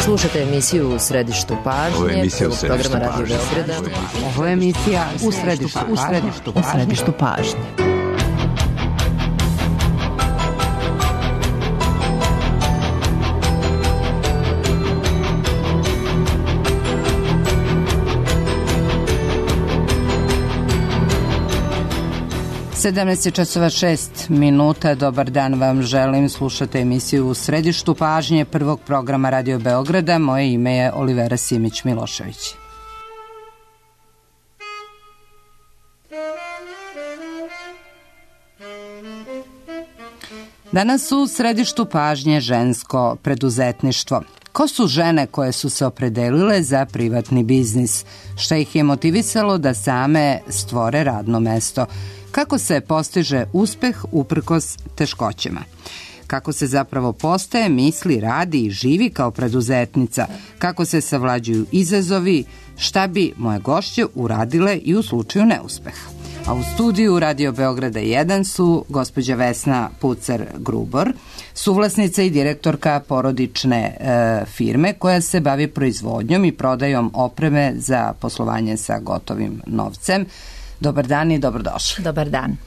Slušate emisiju U središtu pažnje, programa Radio Beograda. Ovo je emisija U središtu pažnje. (17:06). Dobar dan vam želim. Slušate emisiju U središtu pažnje prvog programa Radio Beograda. Moje ime je Olivera Simić-Milošević. Danas u središtu pažnje žensko preduzetništvo. Ko su žene koje su se opredelile za privatni biznis? Šta ih je motivisalo da same stvore radno mesto? Kako se postiže uspeh uprkos teškoćama? Kako se zapravo postaje, misli, radi i živi kao preduzetnica? Kako se savlađuju izazovi? Šta bi moje gošće uradile i u slučaju neuspeha? A u studiju Radio Beograda 1 su gospođa Vesna Pucar-Grubor, suvlasnica i direktorka porodične firme koja se bavi proizvodnjom i prodajom opreme za poslovanje sa gotovim novcem. Dobar dan i dobrodošli. Dobar dan.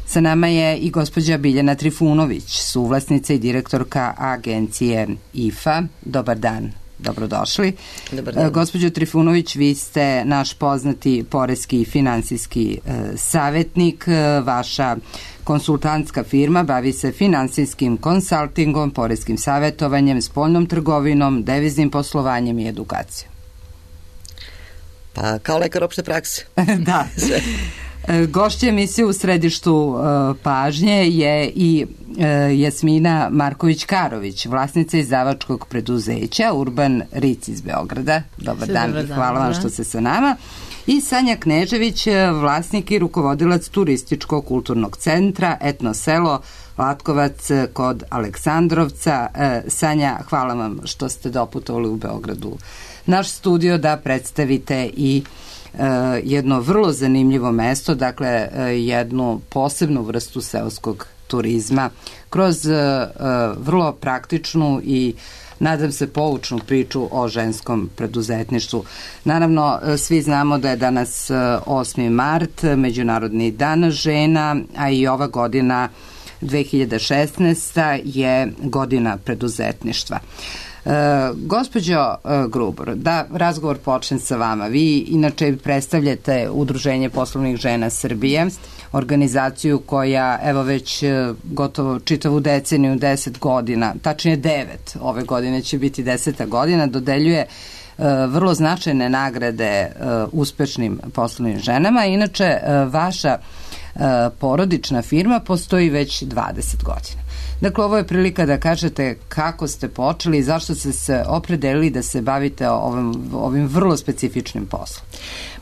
Sa nama je i gospođa Biljana Trifunović, suvlasnica i direktorka agencije IFA. Dobar dan, dobrodošli. Dobar dan. Gospođo Trifunović, vi ste naš poznati poreski i finansijski savjetnik. Vaša konsultantska firma bavi se finansijskim konsaltingom, poreskim savjetovanjem, spoljnom trgovinom, deviznim poslovanjem i edukacijom. Pa kao lekar opšte prakse. Da. Gošća emisije U središtu pažnje je i Jasmina Marković-Karović, vlasnica izdavačkog preduzeća Urban Ric iz Beograda. Dobar dan i hvala vam što ste sa nama. I Sanja Knežević, vlasnik i rukovodilac turističko-kulturnog centra Etno selo Latkovac kod Aleksandrovca. Sanja, hvala vam što ste doputovali u Beogradu naš studio da predstavite i jedno vrlo zanimljivo mesto, dakle jednu posebnu vrstu seoskog turizma kroz vrlo praktičnu i nadam se poučnu priču o ženskom preduzetništvu. Naravno, svi znamo da je danas 8. mart, Međunarodni dan žena, a i ova godina 2016. je godina preduzetništva. Gospođo Grubor, da razgovor počne sa vama. Vi inače predstavljate Udruženje poslovnih žena Srbije, organizaciju koja evo već gotovo čitavu deceniju, 10 godina, tačnije 9, ove godine će biti 10. godina, dodeljuje vrlo značajne nagrade uspešnim poslovnim ženama. Inače, vaša porodična firma postoji već 20 godina. Dakle, ovo je prilika da kažete kako ste počeli i zašto ste se opredelili da se bavite ovim vrlo specifičnim poslom.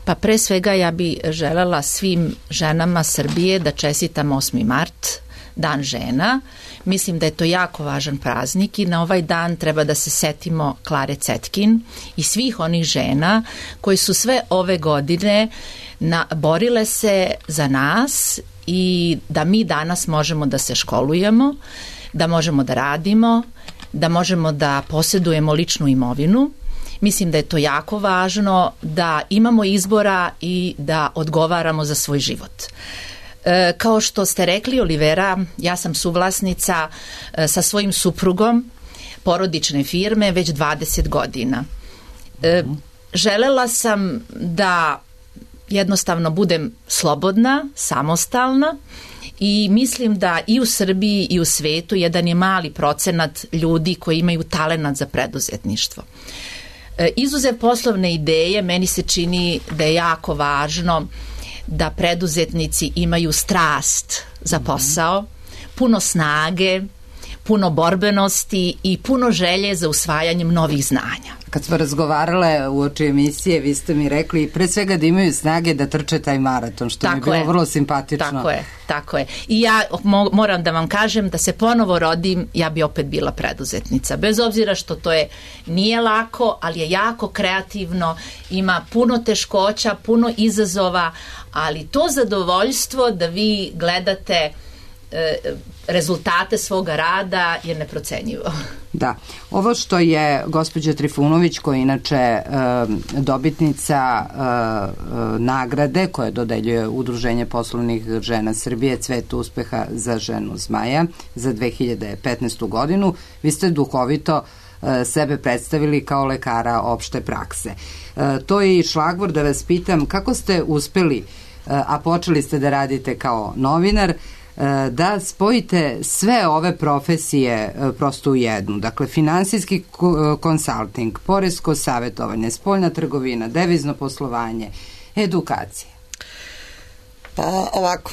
Pa pre svega ja bi želela svim ženama Srbije da čestitam 8. mart, Dan žena. Mislim da je to jako važan praznik i na ovaj dan treba da se setimo Klare Cetkin i svih onih žena koji su sve ove godine borile se za nas i da mi danas možemo da se školujemo, da možemo da radimo, da možemo da posjedujemo ličnu imovinu. Mislim da je to jako važno, da imamo izbora i da odgovaramo za svoj život. Kao što ste rekli, Olivera, ja sam suvlasnica sa svojim suprugom porodične firme već 20 godina. Želela sam da jednostavno budem slobodna, samostalna i mislim da i u Srbiji i u svetu jedan je mali procenat ljudi koji imaju talenat za preduzetništvo. Izuzev poslovne ideje, meni se čini da je jako važno da preduzetnici imaju strast za posao, puno snage, puno borbenosti i puno želje za usvajanjem novih znanja. Kad smo razgovarale uoči emisije, vi ste mi rekli pre svega da imaju snage da trče taj maraton, što mi je bilo vrlo simpatično. Tako je. I ja moram da vam kažem da se ponovo rodim, ja bi opet bila preduzetnica. Bez obzira što to nije lako, ali je jako kreativno, ima puno teškoća, puno izazova, ali to zadovoljstvo da vi gledate rezultate svoga rada je neprocenjivo. Da, ovo što je gospođa Trifunović, koja je inače dobitnica nagrade koje dodeljuje Udruženje poslovnih žena Srbije Cvet uspeha za ženu zmaja za 2015. godinu, vi ste duhovito sebe predstavili kao lekara opšte prakse. To je i šlagvor da vas pitam kako ste uspeli, a počeli ste da radite kao novinar, da spojite sve ove profesije prosto u jednu. Dakle, finansijski konsalting, poresko savjetovanje, spoljna trgovina, devizno poslovanje, edukacija. Pa ovako,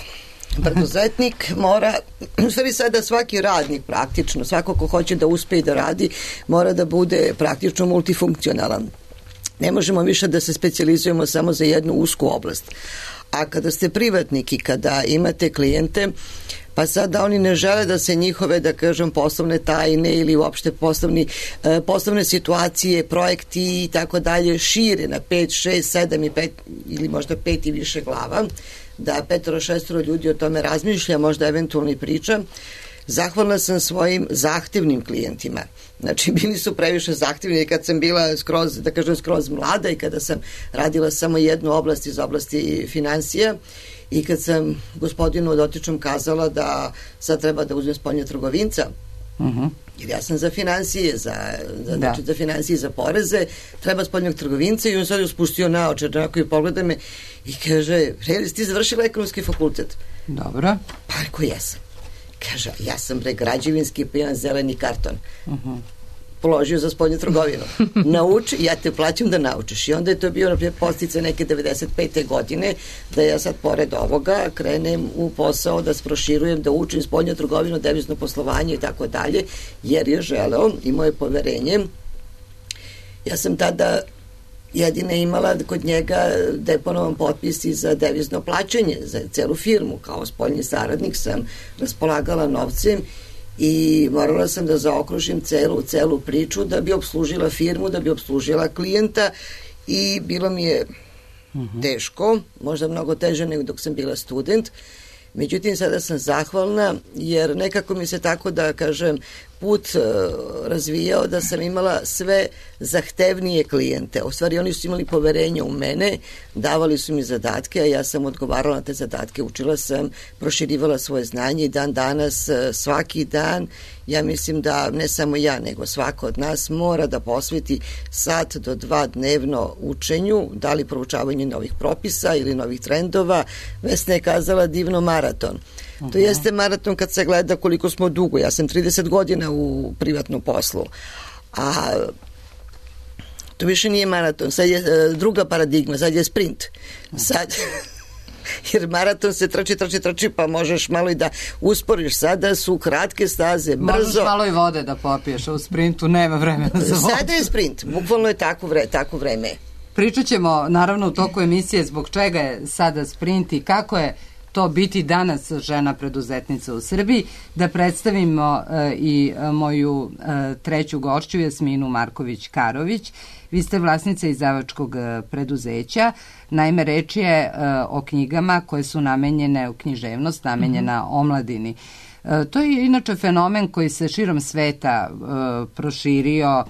preduzetnik mora, u stvari sada svaki radnik praktično, svako ko hoće da uspe i da radi, mora da bude praktično multifunkcionalan. Ne možemo više da se specijalizujemo samo za jednu usku oblast. A kada ste privatnik i kada imate klijente, pa sada oni ne žele da se njihove, da kažem, poslovne tajne ili uopšte poslovne situacije, projekti i tako dalje šire na 5, 6, 7 i 5 ili možda 5 i više glava, da 5-6 ljudi o tome razmišlja, možda eventualno i priča. Zahvalna sam svojim zahtevnim klijentima. Znači, bili su previše zahtevni kad sam bila skroz mlada i kada sam radila samo jednu oblast iz oblasti financija i kad sam gospodinu dotičnom kazala da sad treba da uzmem spoljnja trgovinca, jer ja sam za financije, za financije i za poreze, treba spoljnog trgovinca i on sad je spustio naočar, onako i pogleda me i kaže, ti završila ekonomski fakultet? Dobro. Pa rekao, jesam. Kaže, ja sam građevinski pa imam zeleni karton. Položio za spoljnu trgovinu. Nauči, ja te plaćam da naučiš. I onda je to bio na postice neke 95. godine, da ja sad pored ovoga krenem u posao da proširujem, da učim spoljnu trgovinu, devizno poslovanje i tako dalje, jer je želeo, imao je poverenje. Ja sam tada jedina imala kod njega deponovan potpis i za devizno plaćanje za celu firmu. Kao spoljni saradnik sam raspolagala novcem i morala sam da zaokružim celu priču da bi obslužila firmu, da bi obslužila klijenta i bilo mi je teško, možda mnogo teže nego dok sam bila student. Međutim, sada sam zahvalna jer nekako mi se tako da kažem put razvijao da sam imala sve zahtevnije klijente. U stvari oni su imali poverenje u mene, davali su mi zadatke, a ja sam odgovarala na te zadatke, učila sam, proširivala svoje znanje i dan danas, svaki dan, ja mislim da ne samo ja, nego svako od nas mora da posveti 1 do 2 dnevno učenju, da li proučavanju novih propisa ili novih trendova. Vesna je kazala divno maraton. To jeste maraton kad se gleda koliko smo dugo. Ja sam 30 godina u privatnom poslu. A to više nije maraton. Sad je druga paradigma. Sad je sprint. Sad... jer maraton se trči, pa možeš malo i da usporiš. Sada su kratke staze, brzo. Možeš malo i vode da popiješ, a u sprintu nema vremena za vodu. Sada je sprint, bukvalno je tako vreme. Pričat ćemo naravno u toku emisije zbog čega je sada sprint i kako je to biti danas žena preduzetnica u Srbiji. Da predstavimo i moju treću gošću, Jasminu Marković-Karović. Vi ste vlasnica izdavačkog preduzeća. Naime, reč je o knjigama koje su namenjene u književnost, namenjena omladini. To je inače fenomen koji se širom sveta proširio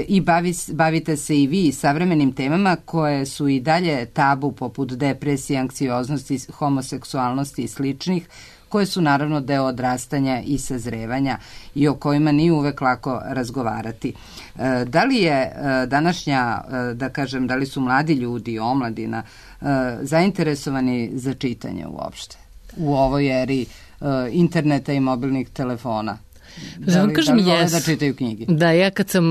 i bavite se i vi savremenim temama koje su i dalje tabu poput depresije, anksioznosti, homoseksualnosti i sličnih, koje su naravno deo odrastanja i sazrevanja i o kojima nije uvek lako razgovarati. Da li je današnja, da kažem, da li su mladi ljudi, omladina, zainteresovani za čitanje uopšte u ovoj eri interneta i mobilnih telefona? Da li vole da čitaju knjige? Da, ja kad sam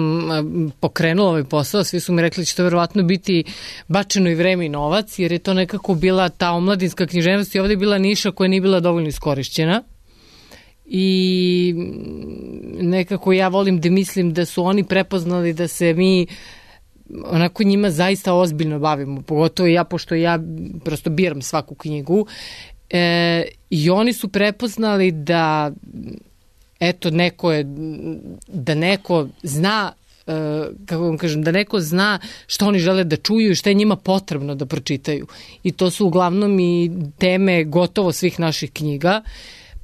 pokrenula ovaj posao, svi su mi rekli da će to verovatno biti bačeno i vreme i novac, jer je to nekako bila ta omladinska književnost i ovde je bila niša koja nije bila dovoljno iskorišćena. I nekako ja volim da mislim da su oni prepoznali da se mi onako njima zaista ozbiljno bavimo, pogotovo ja, pošto ja prosto biram svaku knjigu. I oni su prepoznali da eto, da neko zna, kako vam kažem, da neko zna što oni žele da čuju i što je njima potrebno da pročitaju. I to su uglavnom i teme gotovo svih naših knjiga.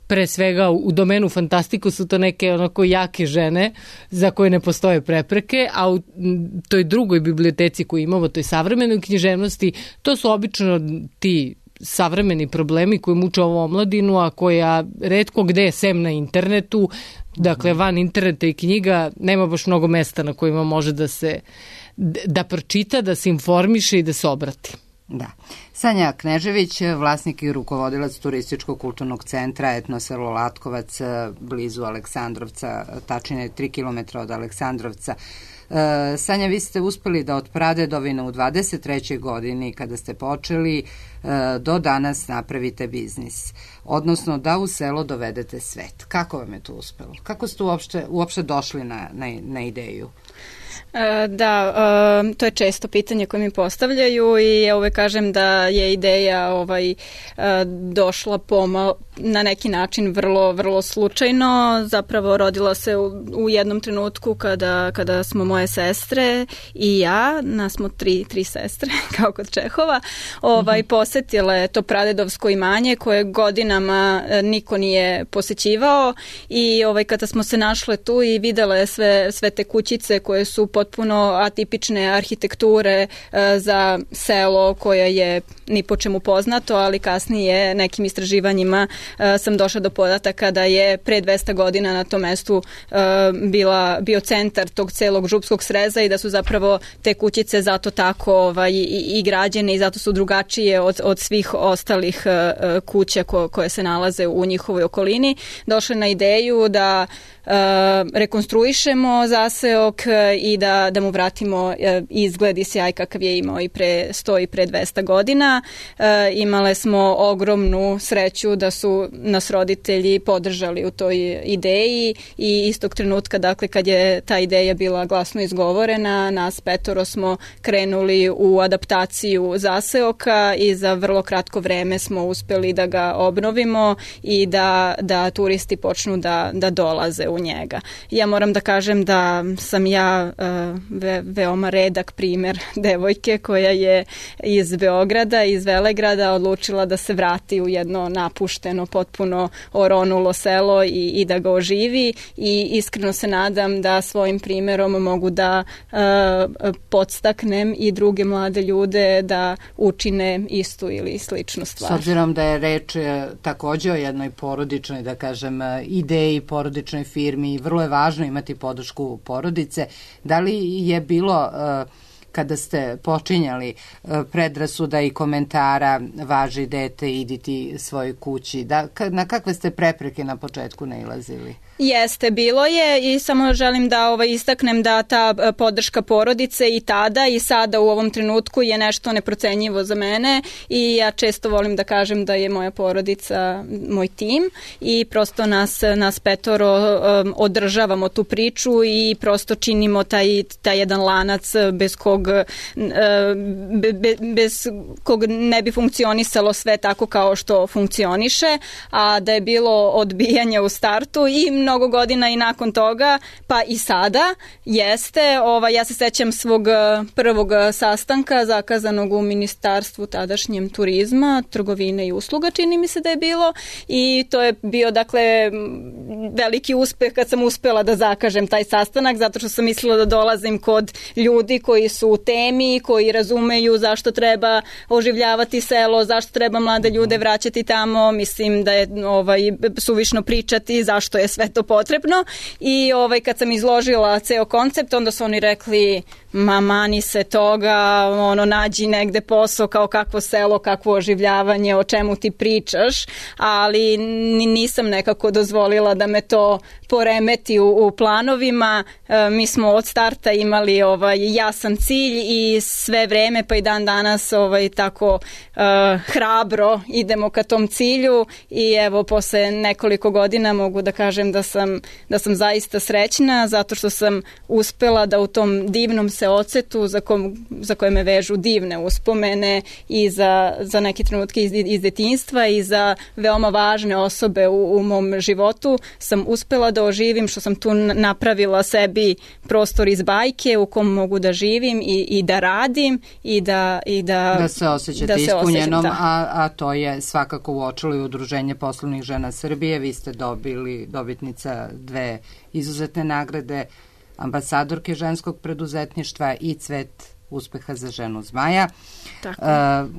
pre svega u domenu fantastiku su to neke onako jake žene za koje ne postoje prepreke, a u toj drugoj biblioteci koju imamo, toj savremenoj književnosti, to su obično ti savremeni problemi koji muče ovu omladinu, a koja retko gde sem na internetu, dakle van interneta i knjiga, nema baš mnogo mesta na kojima može da pročita, da se informiše i da se obrati. Da. Sanja Knežević, vlasnik i rukovodilac turističkog kulturnog centra Etno selo Latkovac, blizu Aleksandrovca, tačnije 3 km od Aleksandrovca. Sanja, vi ste uspeli da od pradedovine u 23. godini, kada ste počeli, do danas napravite biznis, odnosno da u selo dovedete svet. Kako vam je to uspelo? Kako ste uopšte došli na ideju? Da, to je često pitanje koje mi postavljaju i ja uvek kažem da je ideja došla na neki način vrlo slučajno. Zapravo rodila se u jednom trenutku kada smo moje sestre i ja, nas smo tri sestre, kao kod Čehova, posetile to pradedovsko imanje koje godinama niko nije posećivao i kada smo se našle tu i videle sve te kućice koje su potpuno atipične arhitekture za selo koje je ni po čemu poznato, ali kasnije nekim istraživanjima sam došla do podataka da je pre 200 godina na tom mestu bio centar tog celog župskog sreza i da su zapravo te kućice zato tako i građene i zato su drugačije od svih ostalih kuća koje se nalaze u njihovoj okolini. Došla na ideju da rekonstruišemo zaseok i da mu vratimo izgled i sjaj kakav je imao i pre 100 i pre 200 godina. Imale smo ogromnu sreću da su nas roditelji podržali u toj ideji i istog trenutka, dakle, kad je ta ideja bila glasno izgovorena, nas 5 smo krenuli u adaptaciju zaseoka i za vrlo kratko vreme smo uspeli da ga obnovimo i da turisti počnu da dolaze u njega. Ja moram da kažem da sam ja veoma redak primer devojke koja je iz Beograda, iz Velegrada odlučila da se vrati u jedno napušteno, potpuno oronulo selo i da ga oživi i iskreno se nadam da svojim primerom mogu da podstaknem i druge mlade ljude da učine istu ili sličnu stvar. S obzirom da je reč takođe o jednoj porodičnoj, da kažem, ideji, porodičnoj firmi, vrlo je važno imati podršku porodice. Da li je bilo, kada ste počinjali, predrasuda i komentara važi dete, idi ti svojoj kući? Na kakve ste prepreke na početku nailazili? Jeste, bilo je i samo želim da istaknem da ta podrška porodice i tada i sada u ovom trenutku je nešto neprocenjivo za mene i ja često volim da kažem da je moja porodica moj tim i prosto nas 5 održavamo tu priču i prosto činimo taj jedan lanac bez kog ne bi funkcionisalo sve tako kao što funkcioniše, a da je bilo odbijanja u startu i mnogo godina i nakon toga, pa i sada jeste. Ja se sećam svog prvog sastanka zakazanog u ministarstvu tadašnjem turizma, trgovine i usluga, čini mi se da je bilo, i to je bio, dakle, veliki uspeh kad sam uspela da zakažem taj sastanak, zato što sam mislila da dolazim kod ljudi koji su u temi, koji razumeju zašto treba oživljavati selo, zašto treba mlade ljude vraćati tamo. Mislim da je suvišno pričati zašto je sve to potrebno i kad sam izložila ceo koncept, onda su oni rekli mani se toga, nađi negde posao, kao kakvo selo, kakvo oživljavanje, o čemu ti pričaš, ali nisam nekako dozvolila da me to poremeti u planovima. Mi smo od starta imali jasan cilj i sve vreme, pa i dan danas tako hrabro idemo ka tom cilju i evo posle nekoliko godina mogu da kažem da sam zaista srećna zato što sam uspela da u tom divnom seocetu za koje me vežu divne uspomene i za neke trenutke iz detinjstva i za veoma važne osobe u mom životu sam uspela da oživim, što sam tu napravila sebi prostor iz bajke u kom mogu da živim i da radim i da se osjećate ispunjenom, a to je svakako uočilo i Udruženje poslovnih žena Srbije. Vi ste dobitnica 2 izuzetne nagrade, ambasadorke ženskog preduzetništva i Cvet uspeha za ženu zmaja.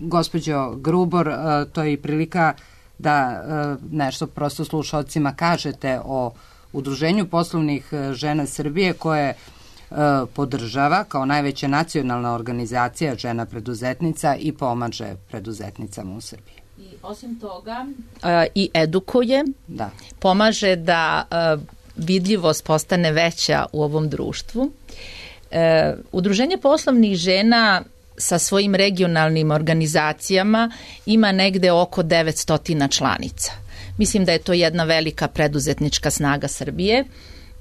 Gospođo Grubor, to je i prilika da nešto prosto slušalcima kažete o Udruženju poslovnih žena Srbije koje podržava kao najveća nacionalna organizacija žena preduzetnica i pomaže preduzetnicama u Srbiji. I osim toga i edukuje, pomaže da vidljivost postane veća u ovom društvu. Udruženje poslovnih žena sa svojim regionalnim organizacijama ima negde oko 900 članica. Mislim da je to jedna velika preduzetnička snaga Srbije,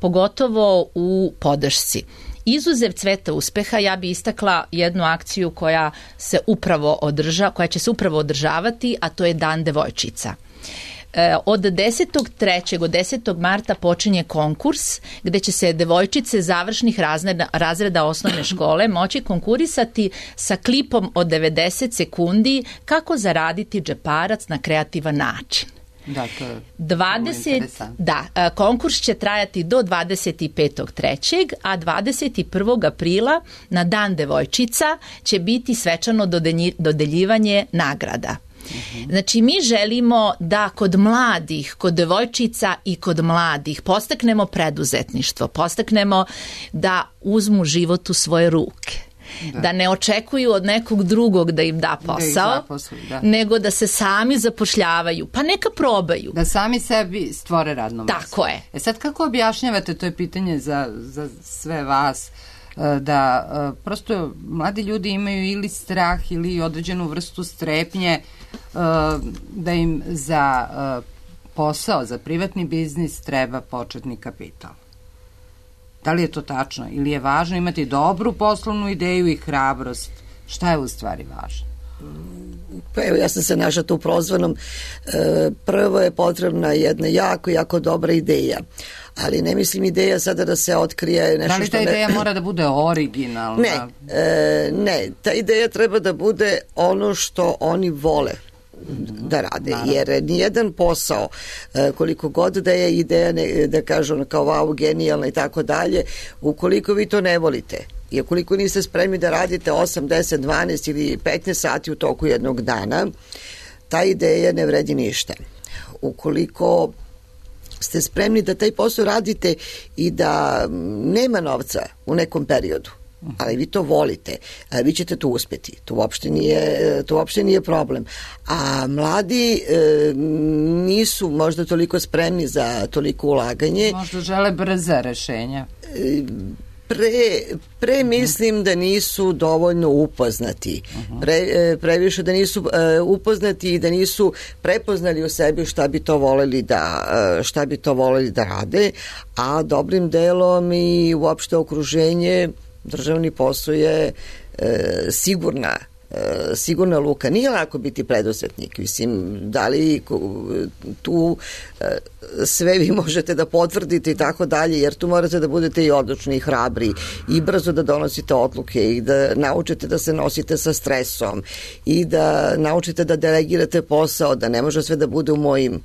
pogotovo u podršci. Izuzev Cveta uspeha, ja bi istakla jednu akciju koja će se upravo održavati, a to je Dan devojčica. Od 10.3. od 10. marta počinje konkurs gde će se devojčice završnih razreda osnovne škole moći konkurisati sa klipom od 90 sekundi kako zaraditi džeparac na kreativan način. Da, to je konkurs će trajati do 25.3. a 21. aprila na Dan devojčica će biti svečano dodeljivanje nagrada. Znači, mi želimo da kod mladih, kod devojčica i kod mladih podstaknemo preduzetništvo, podstaknemo da uzmu život u svoje ruke. Da ne očekuju od nekog drugog da im da posao, nego da se sami zapošljavaju, pa neka probaju. Da sami sebi stvore radno mesto. Tako je. Sad kako objašnjavate, to je pitanje za sve vas, da prosto mladi ljudi imaju ili strah ili određenu vrstu strepnje da im za posao, za privatni biznis treba početni kapital. Da li je to tačno? Ili je važno imati dobru poslovnu ideju i hrabrost? Šta je u stvari važno? Pa evo, ja sam se našla tu prozvanom. Prvo je potrebna jedna jako dobra ideja. Ali ne mislim ideja sada da se otkrije nešto. Da li ta ideja mora da bude originalna? Ne, ta ideja treba da bude ono što oni vole da rade, jer nijedan posao, koliko god da je ideja, da kažu kao wow, genijalna i tako dalje, ukoliko vi to ne volite i ukoliko niste spremni da radite 8, 10, 12 ili 15 sati u toku jednog dana, ta ideja ne vredi ništa. Ukoliko ste spremni da taj posao radite i da nema novca u nekom periodu, ali vi to volite, vi ćete to uspeti. To uopšte nije problem. A mladi nisu možda toliko spremni za toliko ulaganje. Možda žele brza rešenja. Pre mislim da nisu dovoljno upoznati. Previše da nisu upoznati i da nisu prepoznali u sebi šta bi to voleli da rade, a dobrim delom i uopšte okruženje, državni posao je sigurna luka. Nije lako biti preduzetnik. Mislim, da li tu sve vi možete da potvrdite i tako dalje, jer tu morate da budete i odlučni i hrabri i brzo da donosite odluke i da naučite da se nosite sa stresom i da naučite da delegirate posao, da ne može sve da bude u mojim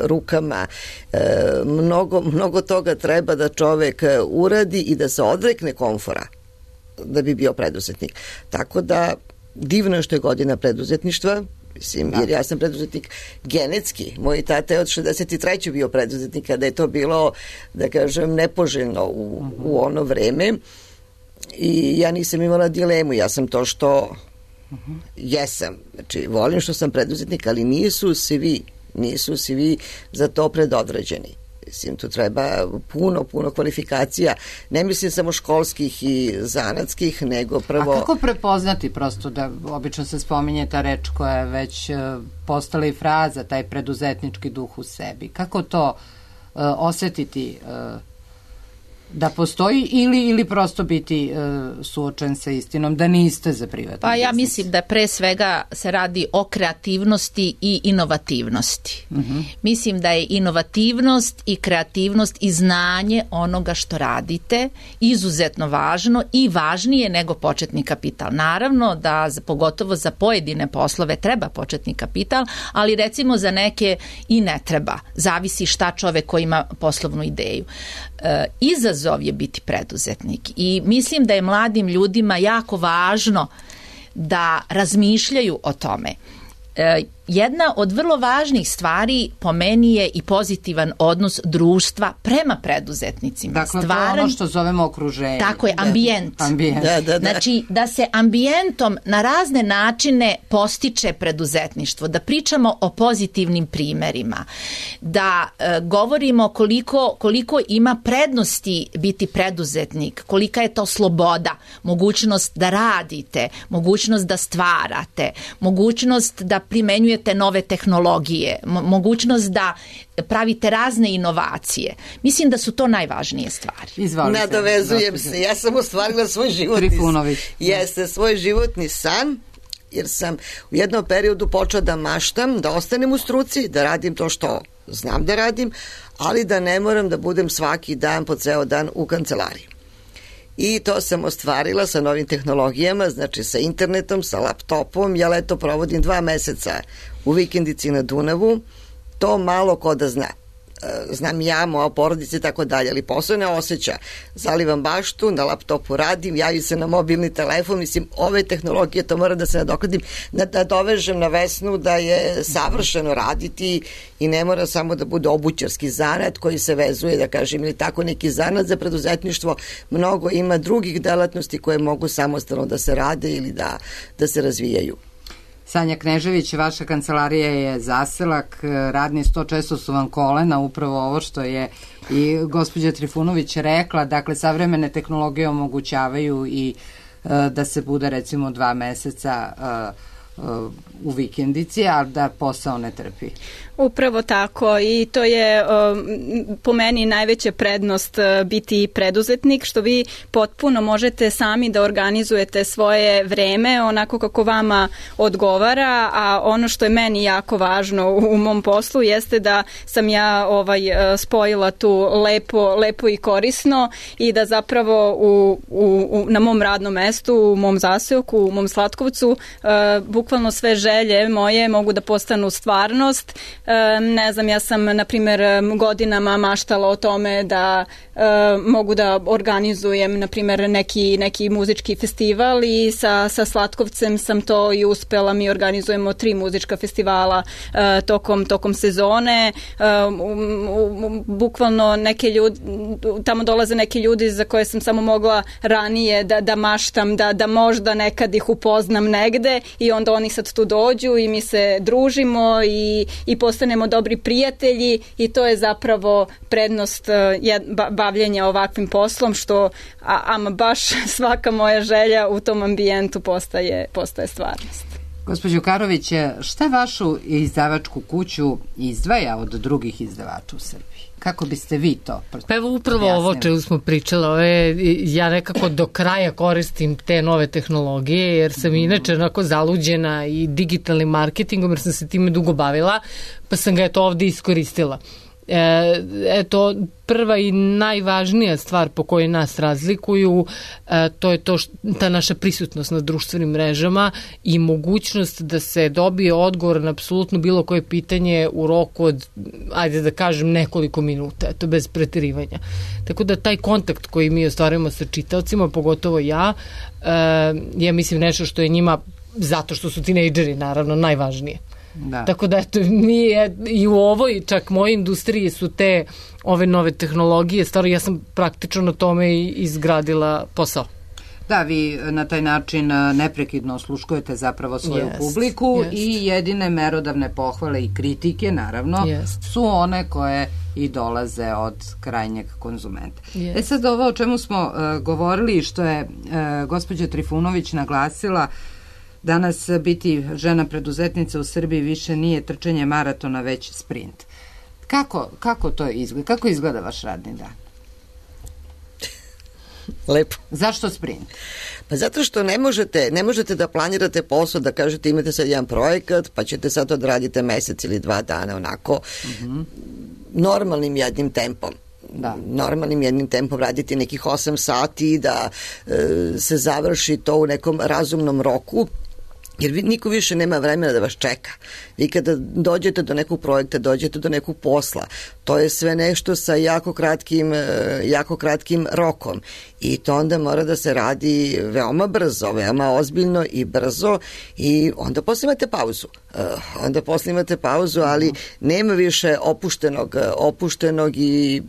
rukama. Mnogo toga treba da čovek uradi i da se odrekne komfora da bi bio preduzetnik. Tako da divno je što je godina preduzetništva, mislim, jer ja sam preduzetnik genetski. Moj tata je od 63. bio preduzetnik, kada je to bilo, da kažem, nepoželjno u ono vreme i ja nisam imala dilemu, ja sam to što jesam. Znači, volim što sam preduzetnik, ali nisu svi za to predodređeni. Mislim, tu treba puno kvalifikacija. Ne mislim samo školskih i zanatskih, nego prvo... A kako prepoznati prosto da obično se spominje ta reč koja je već postala i fraza, taj preduzetnički duh u sebi? Kako to osetiti da postoji ili prosto biti suočen sa istinom da niste za privatni Pa ja biznis? mislim da pre svega se radi o kreativnosti i inovativnosti. Mislim da je inovativnost i kreativnost i znanje onoga što radite izuzetno važno i važnije nego početni kapital. Naravno da pogotovo za pojedine poslove treba početni kapital, ali recimo za neke i ne treba. Zavisi šta čovek koji ima poslovnu ideju. Izazov je biti preduzetnik i mislim da je mladim ljudima jako važno da razmišljaju o tome. Jedna od vrlo važnih stvari po meni je i pozitivan odnos društva prema preduzetnicima. Dakle, to je ono što zovemo okruženje. Tako je, ambijent. Da. Znači, da se ambijentom na razne načine postiče preduzetništvo, da pričamo o pozitivnim primerima, da govorimo koliko ima prednosti biti preduzetnik, kolika je to sloboda, mogućnost da radite, mogućnost da stvarate, mogućnost da primenjujete nove tehnologije, mogućnost da pravite razne inovacije. Mislim da su to najvažnije stvari. Izvolite. Nadovezujem se. Ja sam ostvarila svoj životni svoj životni san, jer sam u jednom periodu počela da maštam, da ostanem u struci, da radim to što znam da radim, ali da ne moram da budem svaki dan po ceo dan u kancelariji. I to sam ostvarila sa novim tehnologijama, znači sa internetom, sa laptopom. Ja leto provodim 2 meseca u vikendici na Dunavu. To malo ko da zna. Znam ja, moja porodica i tako dalje, ali posao ne osjeća. Zalivam baštu, na laptopu radim, javim se na mobilni telefon, mislim, ove tehnologije, to moram da se nadokladim, da dovežem na Vesnu da je savršeno raditi i ne mora samo da bude obućarski zanat koji se vezuje, da kažem, ili tako neki zanat za preduzetništvo. Mnogo ima drugih delatnosti koje mogu samostalno da se rade ili da se razvijaju. Sanja Knežević, vaša kancelarija je zaselak, radni sto, često su vam kolena, upravo ovo što je i gospođa Trifunović rekla, dakle savremene tehnologije omogućavaju i da se bude recimo 2 meseca u vikendici, a da posao ne trpi. Upravo tako i to je po meni najveća prednost biti preduzetnik, što vi potpuno možete sami da organizujete svoje vreme onako kako vama odgovara, a ono što je meni jako važno u mom poslu jeste da sam ja spojila tu lepo i korisno i da zapravo na mom radnom mestu, u mom zaseoku, u mom Slatkovcu, bukvalno sve želje moje mogu da postanu stvarnost. Ne znam, ja sam, na primjer, godinama maštala o tome da mogu da organizujem, na primjer, neki muzički festival i sa Slatkovcem sam to i uspela. Mi organizujemo 3 muzička festivala tokom sezone. Bukvalno neke ljudi, tamo dolaze neki ljudi za koje sam samo mogla ranije da maštam, da možda nekad ih upoznam negde i onda oni sad tu dođu i mi se družimo i postanemo dobri prijatelji i to je zapravo prednost bavljenja ovakvim poslom, što ama baš svaka moja želja u tom ambijentu postaje stvarnost. Gospođo Karović, šta vašu izdavačku kuću izdvaja od drugih izdavača u Srbiji? Kako biste vi to objasnili? Pa evo upravo ovo čemu smo pričali, ja nekako do kraja koristim te nove tehnologije, jer sam inače onako zaluđena i digitalnim marketingom, jer sam se time dugo bavila, pa sam ga ovde iskoristila. Eto, prva i najvažnija stvar po kojoj nas razlikuju, to je ta naša prisutnost na društvenim mrežama i mogućnost da se dobije odgovor na apsolutno bilo koje pitanje u roku od, ajde da kažem, nekoliko minuta, to bez preterivanja. Tako da taj kontakt koji mi ostvarujemo sa čitaocima, pogotovo ja mislim nešto što je njima, zato što su tinejdžeri, naravno, najvažnije. Da. Tako da eto, i u ovoj čak mojoj industriji su te ove nove tehnologije, stvarno ja sam praktično na tome izgradila posao. Da, vi na taj način neprekidno osluškujete zapravo svoju publiku i jedine merodavne pohvale i kritike, naravno, su one koje i dolaze od krajnjeg konzumenta. Sad ovo o čemu smo govorili, što je gospođa Trifunović naglasila, danas biti žena preduzetnica u Srbiji više nije trčanje maratona, već sprint. Kako to izgleda? Kako izgleda vaš radni dan? Lepo. Zašto sprint? Pa zato što ne možete da planirate posao, da kažete imate sad jedan projekat, pa ćete sad odradite mesec ili 2 dana onako normalnim jednim tempom. Normalnim jednim tempom raditi nekih 8 sati, da se završi to u nekom razumnom roku, jer niko više nema vremena da vas čeka. Vi kada dođete do nekog projekta, dođete do nekog posla, to je sve nešto sa jako kratkim rokom i to onda mora da se radi veoma brzo, veoma ozbiljno i brzo i onda posle imate pauzu. Ali nema više opuštenog i,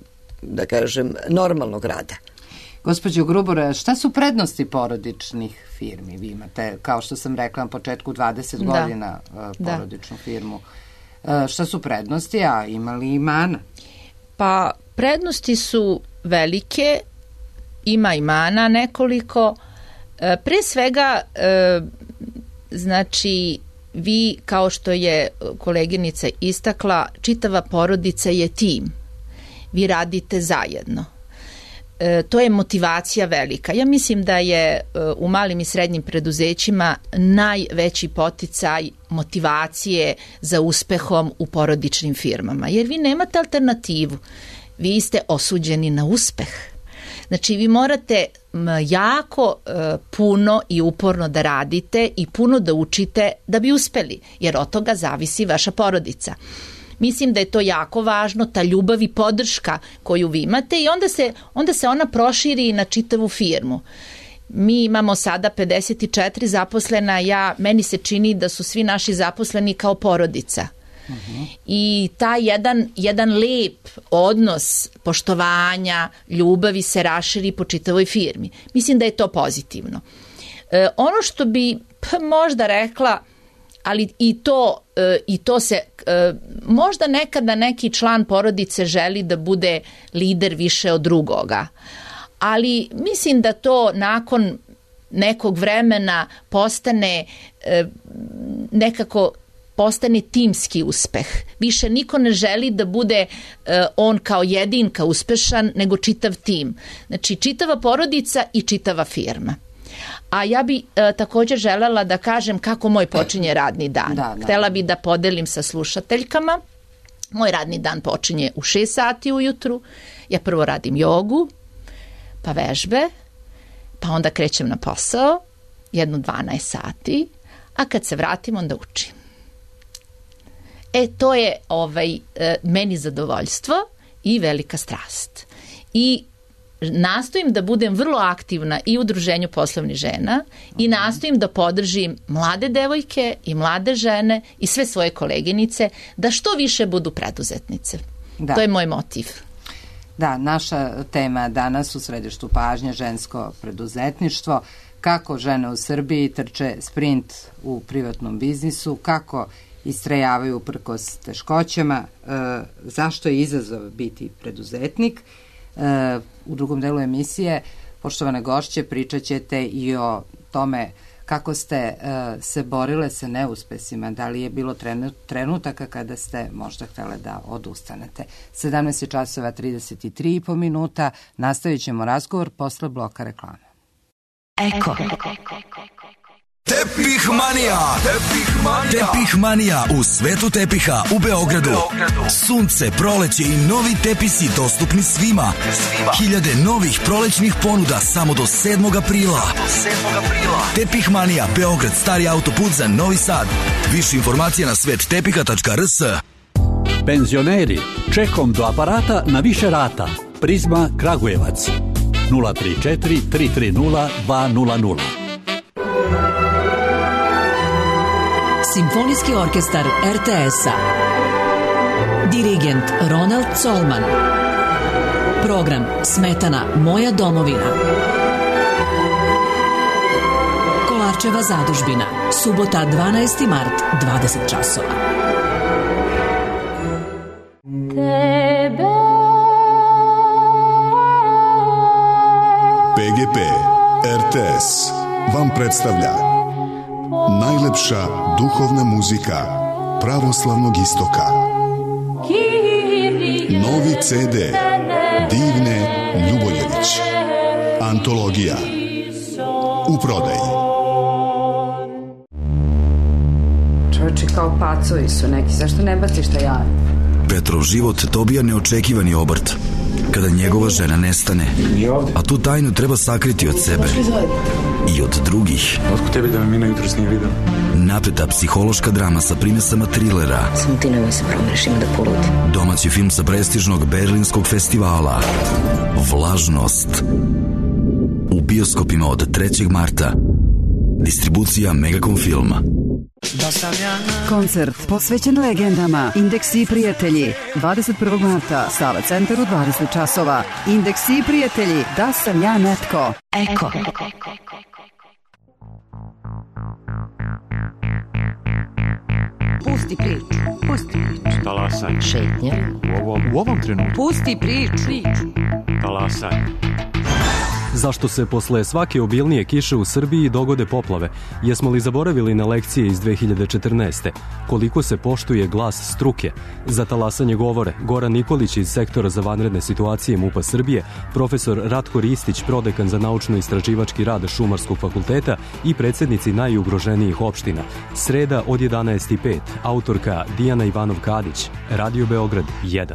da kažem, normalnog rada. Gospođo Grubor, šta su prednosti porodičnih firmi? Vi imate, kao što sam rekla na početku, 20 godina porodičnu firmu. Šta su prednosti, a ima li i mana? Pa, prednosti su velike, ima i mana nekoliko. Pre svega, znači, vi, kao što je koleginica istakla, čitava porodica je tim. Vi radite zajedno. To je motivacija velika. Ja mislim da je u malim i srednjim preduzećima najveći poticaj motivacije za uspehom u porodičnim firmama. Jer vi nemate alternativu. Vi ste osuđeni na uspeh. Znači, vi morate jako puno i uporno da radite i puno da učite da bi uspeli, jer od toga zavisi vaša porodica. Mislim da je to jako važno, ta ljubav i podrška koju vi imate i onda se ona proširi na čitavu firmu. Mi imamo sada 54 zaposlena, meni se čini da su svi naši zaposleni kao porodica. I taj jedan lep odnos poštovanja, ljubavi se raširi po čitavoj firmi. Mislim da je to pozitivno. Ono što bi možda rekla, ali i to se možda nekada neki član porodice želi da bude lider više od drugoga, ali mislim da to nakon nekog vremena postane timski uspeh. Više niko ne želi da bude on kao jedinka uspešan, nego čitav tim. Znači, čitava porodica i čitava firma. A ja bi također želela da kažem kako moj počinje radni dan. Htela bi da podelim sa slušateljkama. Moj radni dan počinje u 6 sati ujutru. Ja prvo radim jogu, pa vežbe, pa onda krećem na posao, 12 sati, a kad se vratim onda učim. To je meni zadovoljstvo i velika strast. I nastojim da budem vrlo aktivna i u Udruženju poslovnih žena i nastojim da podržim mlade devojke i mlade žene i sve svoje koleginice da što više budu preduzetnice. To je moj motiv. Da, naša tema danas u središtu pažnje žensko preduzetništvo, kako žene u Srbiji trče sprint u privatnom biznisu, kako istrajavaju uprkos teškoćama, zašto je izazov biti preduzetnik. U drugom delu emisije, poštovane gošće, pričat ćete i o tome kako ste se borile sa neuspesima, da li je bilo trenutaka kada ste možda htjele da odustanete. 17:33 nastavit ćemo razgovor posle bloka reklame. Eko. Tepih Manija. Tepih Manija u svetu tepiha u Beogradu. Sunce, proleće i novi tepisi dostupni svima. Hiljade novih prolećnih ponuda samo do 7. aprila. Tepih Manija, Beograd, stari autoput za Novi Sad. Više informacija na svettepiha.rs. Penzioneri, čekom do aparata na više rata. Prizma Kragujevac 034 330 200. Simfonijski orkestar RTS-a. Dirigent Ronald Colman. Program Smetana Moja domovina. Kolarčeva zadužbina. Subota 12. mart, 20 časova. PGP RTS vam predstavlja najlepša duhovna muzika pravoslavnog istoka. Novi CD Divne Ljuboljević. Antologija. U prodaji. Čovječi kao pacovi su neki, zašto ne baciš taj jaj? Petrov život dobija neočekivani obrt kada njegova žena nestane, a tu tajnu treba sakriti od sebe i od drugih. Otko tebi da me Mina jutros nije vidio? Napeta psihološka drama sa primesama trilera. Samo ti nemoj se promeriš, ima da poludi. Domaći film sa prestižnog berlinskog festivala Vlažnost. U bioskopima od 3. marta. Distribucija Megacom Filma. Koncert posvećen legendama Indeksi i prijatelji 21. marta, Sala Centar u 20 časova. Indeksi i prijatelji, da sam ja netko. Eko. Pusti priču, pusti priču. Talasaj. Šetnja. U ovom trenutku. Pusti priču. Talasaj. Zašto se posle svake obilnije kiše u Srbiji dogode poplave? Jesmo li zaboravili na lekcije iz 2014. Koliko se poštuje glas struke? Za talasanje govore Goran Nikolić iz Sektora za vanredne situacije MUP-a Srbije, profesor Ratko Ristić, prodekan za naučno-istraživački rad Šumarskog fakulteta i predsednici najugroženijih opština. Sreda od 11:05. Autorka Dijana Ivanov-Kadić. Radio Beograd 1.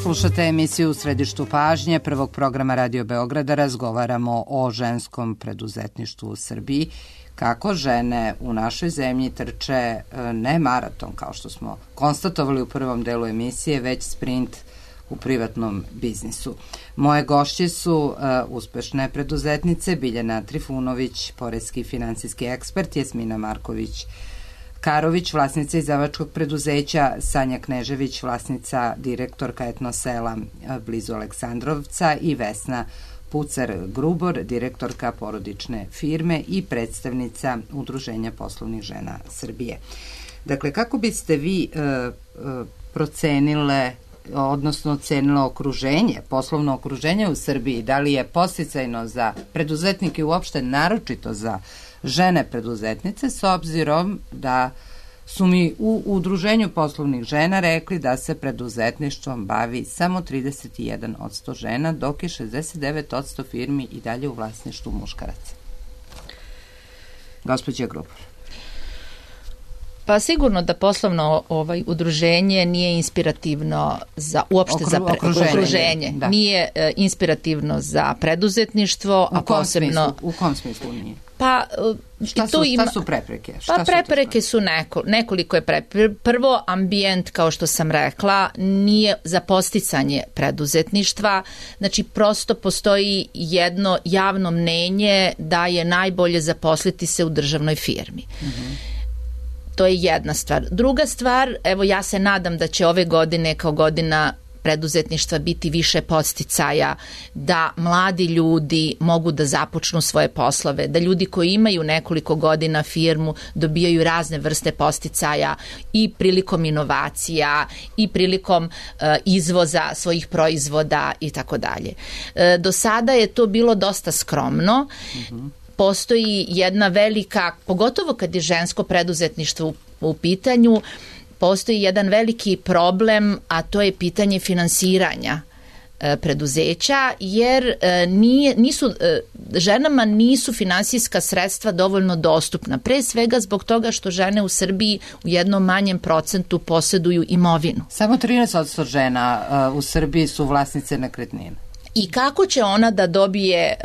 Slušate emisiju U središtu pažnje prvog programa Radio Beograda. Razgovaramo o ženskom preduzetništvu u Srbiji. Kako žene u našoj zemlji trče ne maraton, kao što smo konstatovali u prvom delu emisije, već sprint u privatnom biznisu. Moje gošće su uspešne preduzetnice Biljana Trifunović, poreski i finansijski ekspert, Jasmina Marković Karović, vlasnica izdavačkog preduzeća, Sanja Knežević, vlasnica, direktorka Etnosela blizu Aleksandrovca i Vesna Pucar-Grubor, direktorka porodične firme i predstavnica Udruženja poslovnih žena Srbije. Dakle, kako biste vi procenile, odnosno ocenilo okruženje, poslovno okruženje u Srbiji, da li je podsticajno za preduzetnike uopšte, naročito za žene preduzetnice, s obzirom da su mi u Udruženju poslovnih žena rekli da se preduzetništvom bavi samo 31% žena, dok je 69% firmi i dalje u vlasništvu muškaraca. Gospođa Grubor. Pa sigurno da poslovno udruženje nije inspirativno za uopšte za okruženje. Da. Nije inspirativno za preduzetništvo, a posebno... U kom smislu nije? Pa šta su prepreke? Prepreke su nekoliko je prepreke. Prvo, ambijent, kao što sam rekla, nije za podsticanje preduzetništva. Znači, prosto postoji jedno javno mnenje da je najbolje zaposliti se u državnoj firmi. To je jedna stvar. Druga stvar, evo ja se nadam da će ove godine kao godina preduzetništva biti više podsticaja, da mladi ljudi mogu da započnu svoje poslove, da ljudi koji imaju nekoliko godina firmu dobijaju razne vrste podsticaja i prilikom inovacija i prilikom izvoza svojih proizvoda i tako dalje. Do sada je to bilo dosta skromno. Postoji jedna velika, pogotovo kad je žensko preduzetništvo u pitanju, postoji jedan veliki problem, a to je pitanje finansiranja preduzeća, jer ženama nisu finansijska sredstva dovoljno dostupna. Pre svega zbog toga što žene u Srbiji u jednom manjem procentu posjeduju imovinu. Samo 13% žena u Srbiji su vlasnice nekretnina. I kako će ona da dobije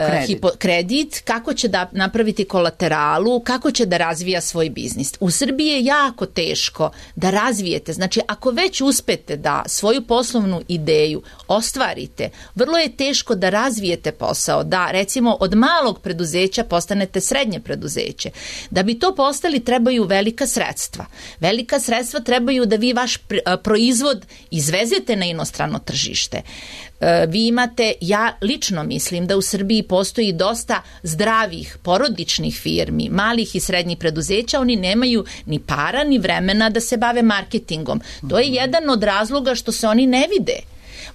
kredit, kako će da napraviti kolateralu, kako će da razvija svoj biznis. U Srbiji je jako teško da razvijete. Znači, ako već uspete da svoju poslovnu ideju ostvarite, vrlo je teško da razvijete posao, da recimo od malog preduzeća postanete srednje preduzeće. Da bi to postali trebaju velika sredstva. Velika sredstva trebaju da vi vaš proizvod izvezete na inostrano tržište. Vi imate ja lično mislim da u Srbiji postoji dosta zdravih porodičnih firmi, malih i srednjih preduzeća, oni nemaju ni para ni vremena da se bave marketingom. To je jedan od razloga što se oni ne vide.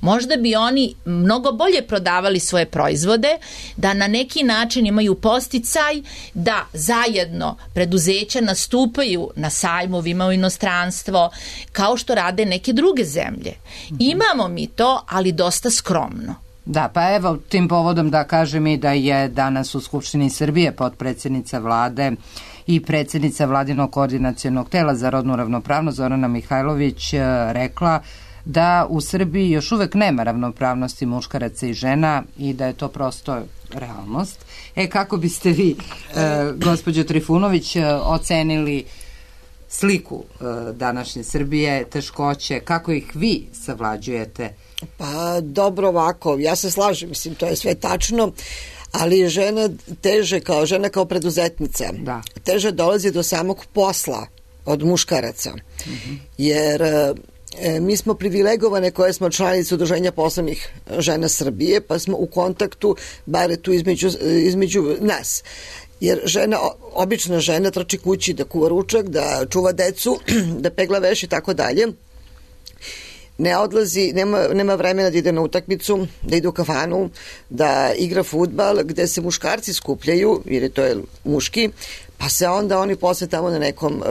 Možda bi oni mnogo bolje prodavali svoje proizvode, da na neki način imaju podsticaj, da zajedno preduzeća nastupaju na sajmovima u inostranstvo, kao što rade neke druge zemlje. Imamo mi to, ali dosta skromno. Da, pa evo tim povodom da kažem i da je danas u Skupštini Srbije potpredsjednica vlade i predsjednica vladinog koordinacionog tela za rodnu ravnopravnost Zorana Mihajlović rekla da u Srbiji još uvek nema ravnopravnosti muškaraca i žena i da je to prosto realnost. Kako biste vi, gospođo Trifunović, ocenili sliku današnje Srbije, teškoće, kako ih vi savlađujete? Pa dobro, ovako, ja se slažem, mislim, to je sve tačno, ali žena teže, žena kao preduzetnica, teže dolazi do samog posla od muškaraca, jer mi smo privilegovane koje smo članice Udruženja poslovnih žena Srbije, pa smo u kontaktu, bare tu između nas. Jer obična žena trči kući da kuva ručak, da čuva decu, da pegla veš i tako dalje. Ne odlazi, nema vremena da ide na utakmicu, da ide u kafanu, da igra fudbal, gde se muškarci skupljaju, jer to je muški, pa se onda oni posle tamo na nekom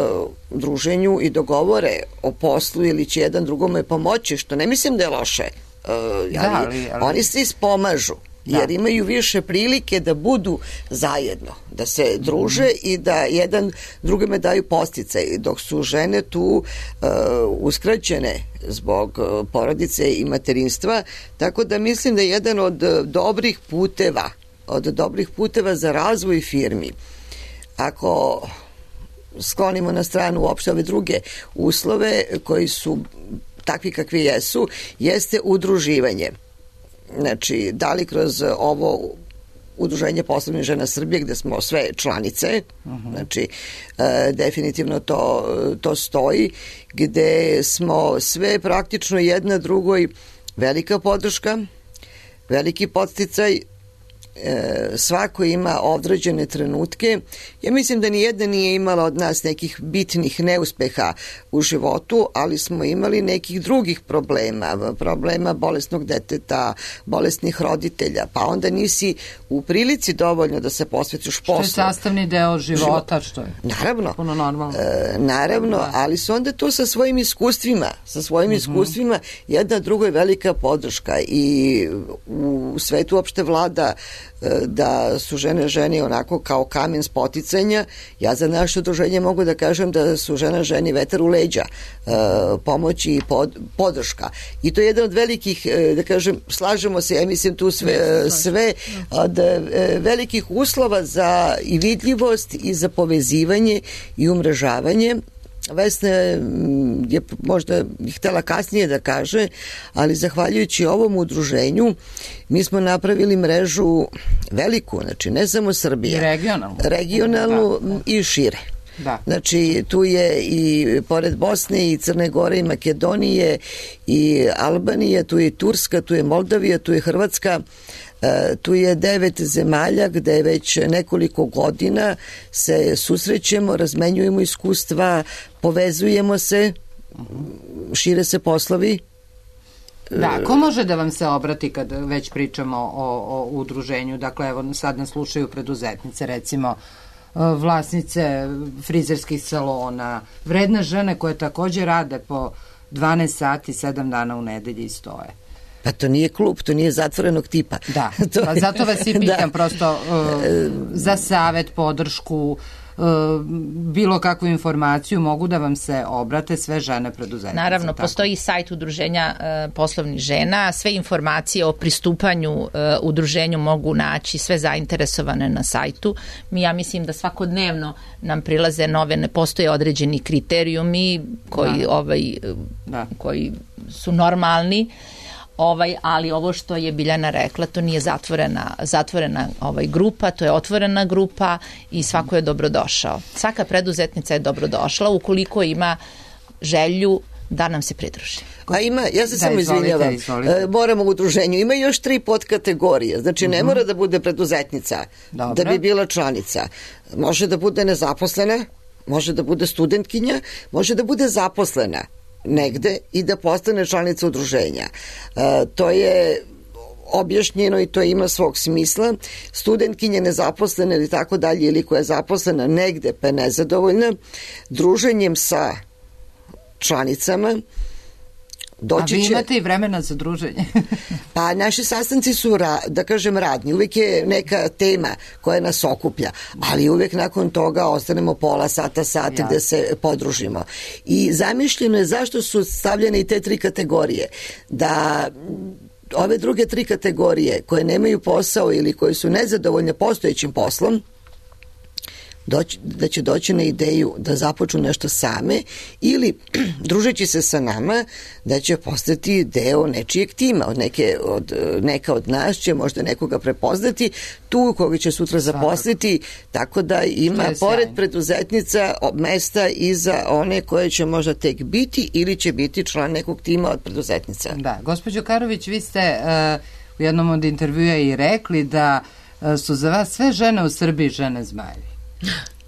druženju i dogovore o poslu ili će jedan drugome pomoći, što ne mislim da je loše. Ali oni se ispomažu, jer imaju više prilike da budu zajedno, da se druže i da jedan drugome daju podsticaj, dok su žene tu uskraćene zbog porodice i materinstva, tako da mislim da je jedan od dobrih puteva za razvoj firmi. Ako sklonimo na stranu uopšte ove druge uslove koji su takvi kakvi jesu, jeste udruživanje. Znači, da li kroz ovo Udruženje poslovnih žena Srbije, gde smo sve članice, znači, definitivno to stoji, gde smo sve praktično jedna drugoj velika podrška, veliki podsticaj, svako ima određene trenutke. Ja mislim da nijedna nije imala od nas nekih bitnih neuspeha u životu, ali smo imali nekih drugih problema bolesnog deteta, bolesnih roditelja, pa onda nisi u prilici dovoljno da se posvetiš poslu. Što je sastavni deo života, što je puno normalno. Naravno, ali su onda to sa svojim iskustvima jedna drugoj velika podrška i u svetu uopšte vlada da su žene onako kao kamen spoticanja. Ja za naše udruženje mogu da kažem da su ženi vetar u leđa, pomoći i podrška. I to je jedan od velikih, da kažem, slažemo se, ja mislim tu sve od velikih uslova za i vidljivost i za povezivanje i umrežavanje. Vesna je možda htela kasnije da kaže, ali zahvaljujući ovom udruženju mi smo napravili mrežu veliku, znači ne samo Srbije, regionalnu i šire. Da. Znači tu je i pored Bosne i Crne Gore i Makedonije i Albanije, tu je Turska, tu je Moldavija, tu je Hrvatska, tu je 9 zemalja gde već nekoliko godina se susrećemo, razmenjujemo iskustva, povezujemo se, šire se poslovi. Da, ko može da vam se obrati kad već pričamo o udruženju? Dakle, evo sad nas slušaju preduzetnice, recimo vlasnice frizerskih salona, vredne žene koje takođe rade po 12 sati, 7 dana u nedelji i stoje. Pa to nije klub, to nije zatvorenog tipa. Da, pa zato vas i pitam prosto za savet, podršku, bilo kakvu informaciju, mogu da vam se obrate sve žene preduzetnice. Naravno, postoji sajt Udruženja poslovnih žena, sve informacije o pristupanju udruženju mogu naći sve zainteresovane na sajtu. Ja mislim da svakodnevno nam prilaze nove, ne postoje određeni kriterijumi koji su normalni. Ali ovo što je Biljana rekla, to nije zatvorena grupa, to je otvorena grupa i svako je dobrodošao. Svaka preduzetnica je dobrodošla ukoliko ima želju da nam se pridruži. A ima, ja se samo izvinjavam, moramo u udruženju, ima još 3 podkategorije, znači ne mora da bude preduzetnica da bi bila članica, može da bude nezaposlena, može da bude studentkinja, može da bude zaposlena negde i da postane članica udruženja. To je objašnjeno i to ima svog smisla. Studentkinje nezaposlene ili tako dalje, ili koja je zaposlena negde pa je nezadovoljna, druženjem sa članicama doći će... A vi imate i vremena za druženje? Pa naši sastanci su, da kažem, radni. Uvijek je neka tema koja nas okuplja, ali uvijek nakon toga ostanemo pola sata, sat gde se podružimo. I zamišljeno je zašto su stavljene i te 3 kategorije. Da ove druge 3 kategorije koje nemaju posao ili koje su nezadovoljne postojećim poslom, da će doći na ideju da započnu nešto same ili družeći se sa nama da će postati deo nečijeg tima, neka od nas će možda nekoga prepoznati tu koga će sutra zaposliti, tako da ima pored preduzetnica mesta i za one koje će možda tek biti ili će biti član nekog tima od preduzetnica. Da, gospođo Karović, vi ste u jednom od intervjua i rekli da su za vas sve žene u Srbiji žene zmajevi.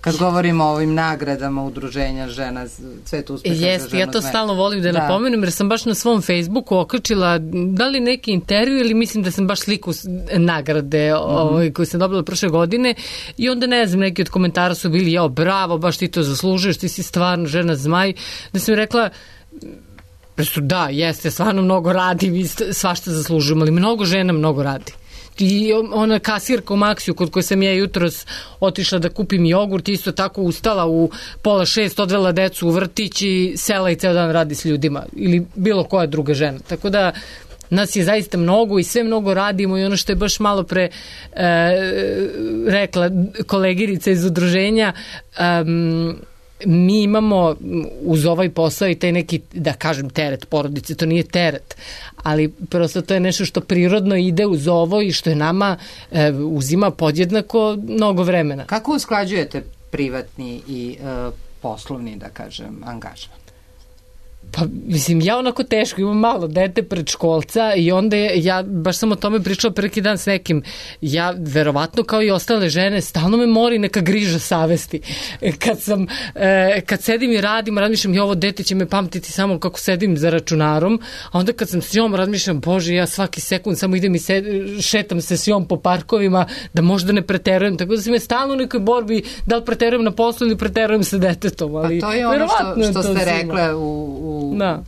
Kad govorimo o ovim nagradama udruženja žena, Cvet uspeha za ženu zmajevi. Ja to stalno volim da napomenem, jer sam baš na svom Facebooku okačila da li neki intervju ili mislim da sam baš sliku nagrade koju sam dobila prošle godine i onda ne znam, neki od komentara su bili bravo, baš ti to zaslužuješ, ti si stvarno žena zmaj. Da sam rekla, da, jeste, stvarno mnogo radi i svašta zaslužujem, ali mnogo žena mnogo radi. I ona kasirka u Maksiju kod koje sam ja jutros otišla da kupim jogurt, isto tako ustala u 5:30, odvela decu u vrtić i sela i ceo dan radi s ljudima ili bilo koja druga žena. Tako da nas je zaista mnogo i sve mnogo radimo i ono što je baš malo pre rekla kolegirica iz udruženja, mi imamo uz ovaj posao i taj neki, da kažem, teret porodice, to nije teret, ali prosto to je nešto što prirodno ide uz ovo i što je nama uzima podjednako mnogo vremena. Kako usklađujete privatni i poslovni, da kažem, angažman? Pa, mislim, ja onako teško, imam malo dete predškolca i onda ja baš sam o tome pričala preki dan s nekim. Ja, verovatno, kao i ostale žene, stalno me mori neka griža savesti. Kad sedim i radim, razmišljam, ovo dete će me pamtiti samo kako sedim za računarom, a onda kad sam s njom, razmišljam, bože, ja svaki sekund samo idem i šetam se s njom po parkovima, da možda ne preterujem, tako da sam je stalno u nekoj borbi, da li preterujem na poslu ili preterujem sa detetom. Ali, pa to je ono što ste rekle u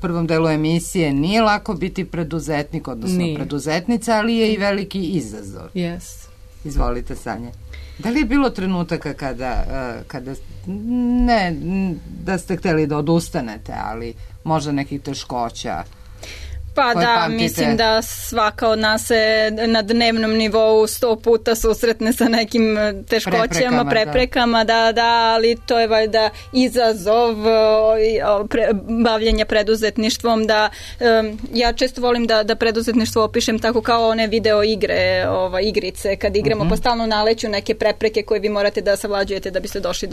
prvom delu emisije, nije lako biti preduzetnik, odnosno preduzetnica, ali je i veliki izazov. Yes. Izvolite, Sanja. Da li je bilo trenutaka kada ne da ste hteli da odustanete, ali možda nekih teškoća? Pa da, mislim da svaka od nas se na dnevnom nivou 100 puta susretne sa nekim teškoćama, preprekama, da, ali to je valjda izazov bavljenja preduzetništvom, da ja često volim da preduzetništvo opišem tako kao one video igrice, kad igramo pa stalno naleću neke prepreke koje vi morate da savlađujete da biste došli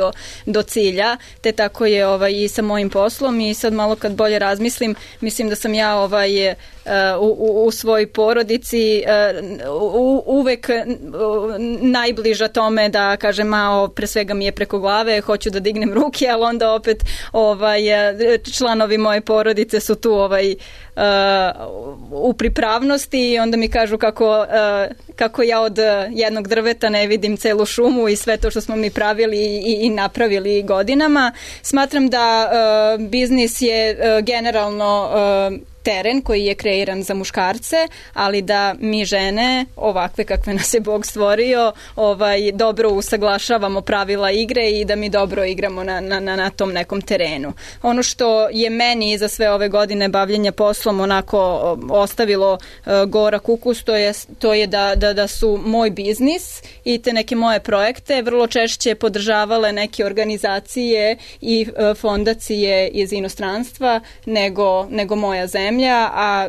do cilja, te tako je i sa mojim poslom i sad malo kad bolje razmislim, mislim da sam ja u svojoj porodici uvek najbliža tome da kažem, pre svega mi je preko glave, hoću da dignem ruke, ali onda opet članovi moje porodice su tu u pripravnosti i onda mi kažu kako ja od jednog drveta ne vidim celu šumu i sve to što smo mi pravili i napravili godinama. Smatram da biznis je generalno teren koji je kreiran za muškarce, ali da mi žene, ovakve kakve nas je Bog stvorio, dobro usaglašavamo pravila igre i da mi dobro igramo na tom nekom terenu. Ono što je meni za sve ove godine bavljenja poslom onako ostavilo gorak ukus, to je da su moj biznis i te neke moje projekte vrlo češće podržavale neke organizacije i fondacije iz inostranstva nego moja zemlja, a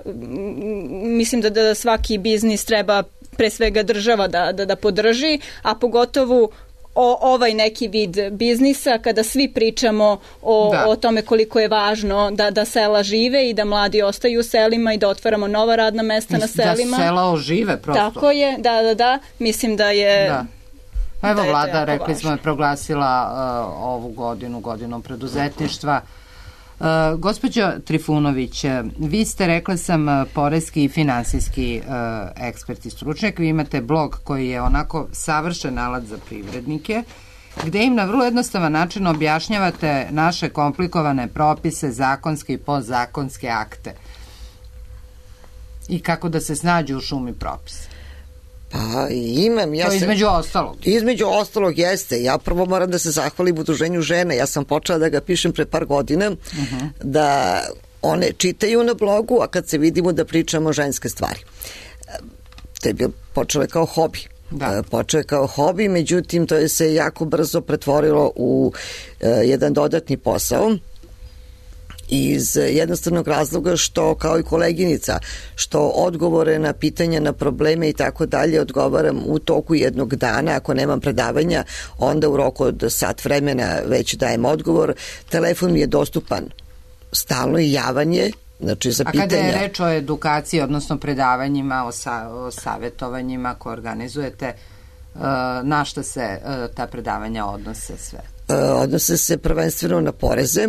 mislim da svaki biznis treba pre svega država da podrži, a pogotovo ovaj neki vid biznisa, kada svi pričamo o tome koliko je važno da sela žive i da mladi ostaju u selima i da otvaramo nova radna mesta na selima. Da sela ožive prosto. Tako je, da. Mislim da je... Da. Pa evo, vlada, rekli smo, je proglasila ovu godinom preduzetništva. Gospođo Trifunović, vi ste, rekla sam, poreski i finansijski ekspert i stručnjak. Vi imate blog koji je onako savršen alat za privrednike, gde im na vrlo jednostavan način objašnjavate naše komplikovane propise, zakonske i podzakonske akte i kako da se snađu u šumi propisa. Pa imam. To između ostalog. Između ostalog jeste. Ja prvo moram da se zahvalim Udruženju žena. Ja sam počela da ga pišem pre par godina, da one čitaju na blogu, a kad se vidimo da pričamo ženske stvari. To je počelo kao hobi. Počeo je kao hobi, međutim to je se jako brzo pretvorilo u jedan dodatni posao, iz jednostavnog razloga što, kao i koleginica, što odgovore na pitanja, na probleme i tako dalje odgovaram u toku jednog dana. Ako nemam predavanja, onda u roku od sat vremena već dajem odgovor. Telefon mi je dostupan stalno i javan je, znači za pitanja. A kada je reč o edukaciji, odnosno predavanjima, o savjetovanjima koje organizujete, na šta se ta predavanja odnose sve? Odnose se prvenstveno na poreze,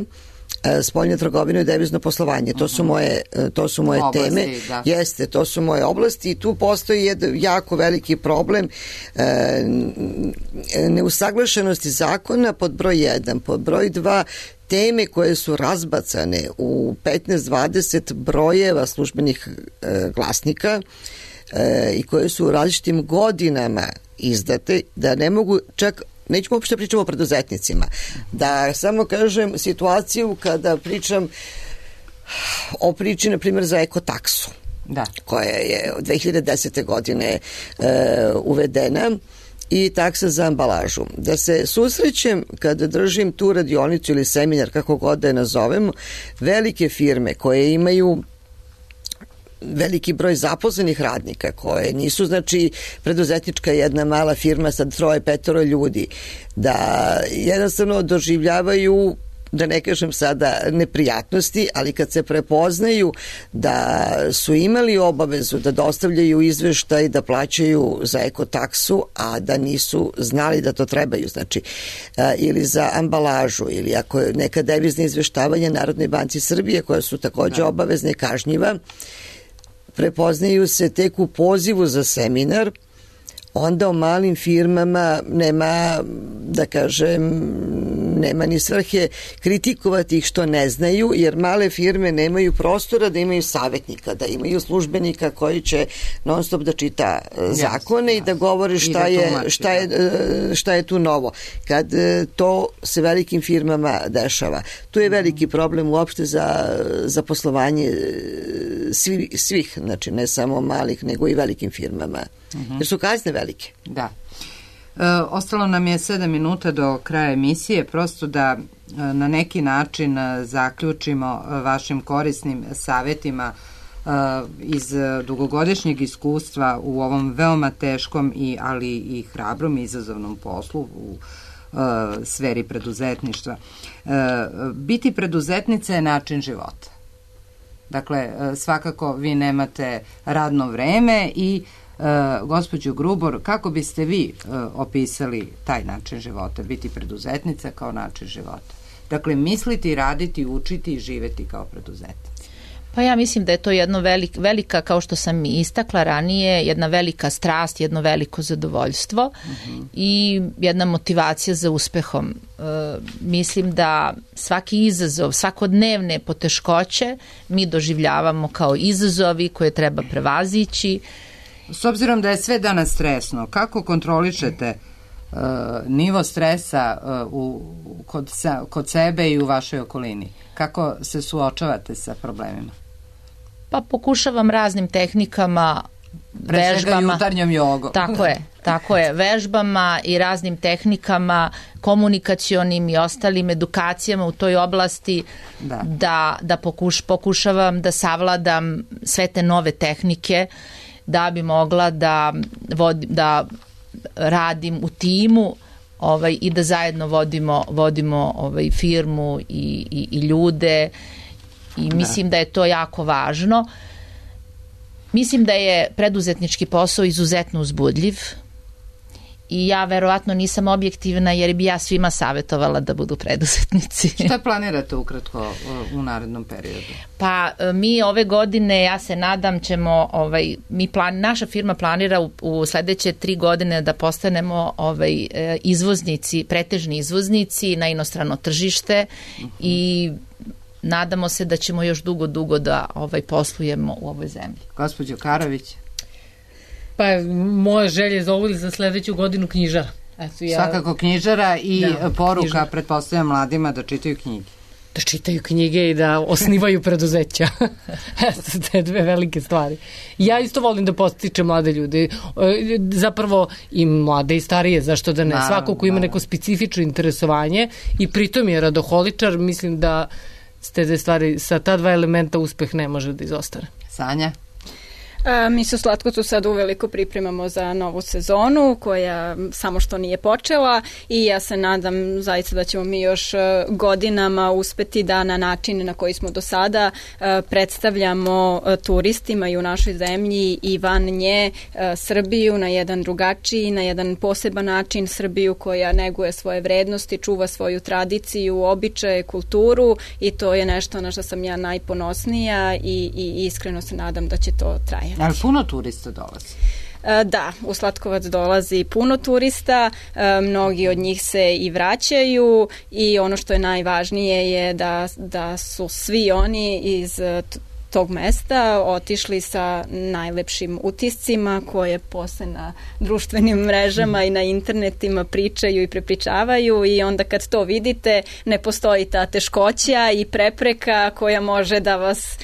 spoljnu trgovinu i devizno poslovanje. To su moje oblasti, teme. Da. Jeste, to su moje oblasti i tu postoji jedan jako veliki problem neusaglašenosti zakona pod broj 1. Pod broj 2, teme koje su razbacane u 15-20 brojeva službenih glasnika i koje su u različitim godinama izdate, da ne mogu čak, nećemo uopšte pričamo o preduzetnicima, da samo kažem situaciju kada pričam o priči, na primjer, za ekotaksu, koja je od 2010. godine uvedena, i taksa za ambalažu. Da se susrećem kada držim tu radionicu ili seminar, kako god da je nazovemo, velike firme koje imaju veliki broj zaposlenih radnika, koje nisu, znači, preduzetnička jedna mala firma sa 3-5 ljudi, da jednostavno doživljavaju, da ne kažem sada neprijatnosti, ali kad se prepoznaju da su imali obavezu da dostavljaju izveštaj, da plaćaju za ekotaksu, a da nisu znali da to trebaju, znači, ili za ambalažu, ili ako je neka devizna izveštavanja Narodnoj banci Srbije, koja su takođe obavezne i kažnjiva, prepoznaju se tek u pozivu za seminar, onda o malim firmama nema, da kažem, nema ni svrhe kritikovati ih što ne znaju, jer male firme nemaju prostora da imaju savjetnika, da imaju službenika koji će non stop da čita zakone i da govori šta je tu novo. Kad to se velikim firmama dešava, tu je veliki problem uopšte za poslovanje svih, znači ne samo malih, nego i velikim firmama. Jer su kazne velike. Da. Ostalo nam je 7 minuta do kraja emisije, prosto da na neki način zaključimo vašim korisnim savjetima iz dugogodišnjeg iskustva u ovom veoma teškom ali i hrabrom i izazovnom poslu u sferi preduzetništva. Biti preduzetnica je način života. Dakle, svakako vi nemate radno vreme i gospođo Grubor, kako biste vi opisali taj način života, biti preduzetnica kao način života? Dakle, misliti, raditi, učiti i živeti kao preduzetnica. Pa ja mislim da je to jedno velika, kao što sam i istakla ranije, jedna velika strast, jedno veliko zadovoljstvo i jedna motivacija za uspehom. Mislim da svaki izazov, svakodnevne poteškoće mi doživljavamo kao izazovi koje treba prevazići. S obzirom da je sve danas stresno, kako kontrolišete nivo stresa kod sebe i u vašoj okolini? Kako se suočavate sa problemima? Pa pokušavam raznim tehnikama, vežbama, jutarnjom jogom. Tako je, vežbama i raznim tehnikama, komunikacionim i ostalim edukacijama u toj oblasti da pokušavam da savladam sve te nove tehnike da bi mogla da radim u timu i da zajedno vodimo firmu i ljude i mislim da je to jako važno. Mislim da je preduzetnički posao izuzetno uzbudljiv i ja verovatno nisam objektivna jer bi ja svima savjetovala da budu preduzetnici. Šta planirate ukratko u narednom periodu? Pa mi ove godine, ja se nadam, ćemo, naša firma planira u sledeće 3 godine da postanemo izvoznici, pretežni izvoznici na inostrano tržište i nadamo se da ćemo još dugo da poslujemo u ovoj zemlji. Gospođo Karović? Pa moja želja za ovu ili za sledeću godinu knjižara. Svakako knjižara i poruka, pretpostavljam mladima da čitaju knjige. Da čitaju knjige i da osnivaju preduzeća. Te 2 velike stvari. Ja isto volim da podstičem mlade ljude. Zapravo i mlade i starije, zašto da ne? Svako ko ima neko specifično interesovanje i pritom je radoholičar, mislim da s te 2 stvari, sa ta 2 elementa uspeh ne može da izostane. Sanja? Mi se u Slatkotu sad uveliko pripremamo za novu sezonu koja samo što nije počela i ja se nadam zaista da ćemo mi još godinama uspeti da na način na koji smo do sada predstavljamo turistima i u našoj zemlji i van nje Srbiju na jedan drugačiji, na jedan poseban način, Srbiju koja neguje svoje vrednosti, čuva svoju tradiciju, običaje, kulturu i to je nešto na što sam ja najponosnija i iskreno se nadam da će to trajati. Ali puno turista dolazi? Da, u Slatkovac dolazi puno turista, mnogi od njih se i vraćaju i ono što je najvažnije je da su svi oni iz tog mesta otišli sa najlepšim utiscima koje posle na društvenim mrežama i na internetima pričaju i prepričavaju i onda kad to vidite ne postoji ta teškoća i prepreka koja može da vas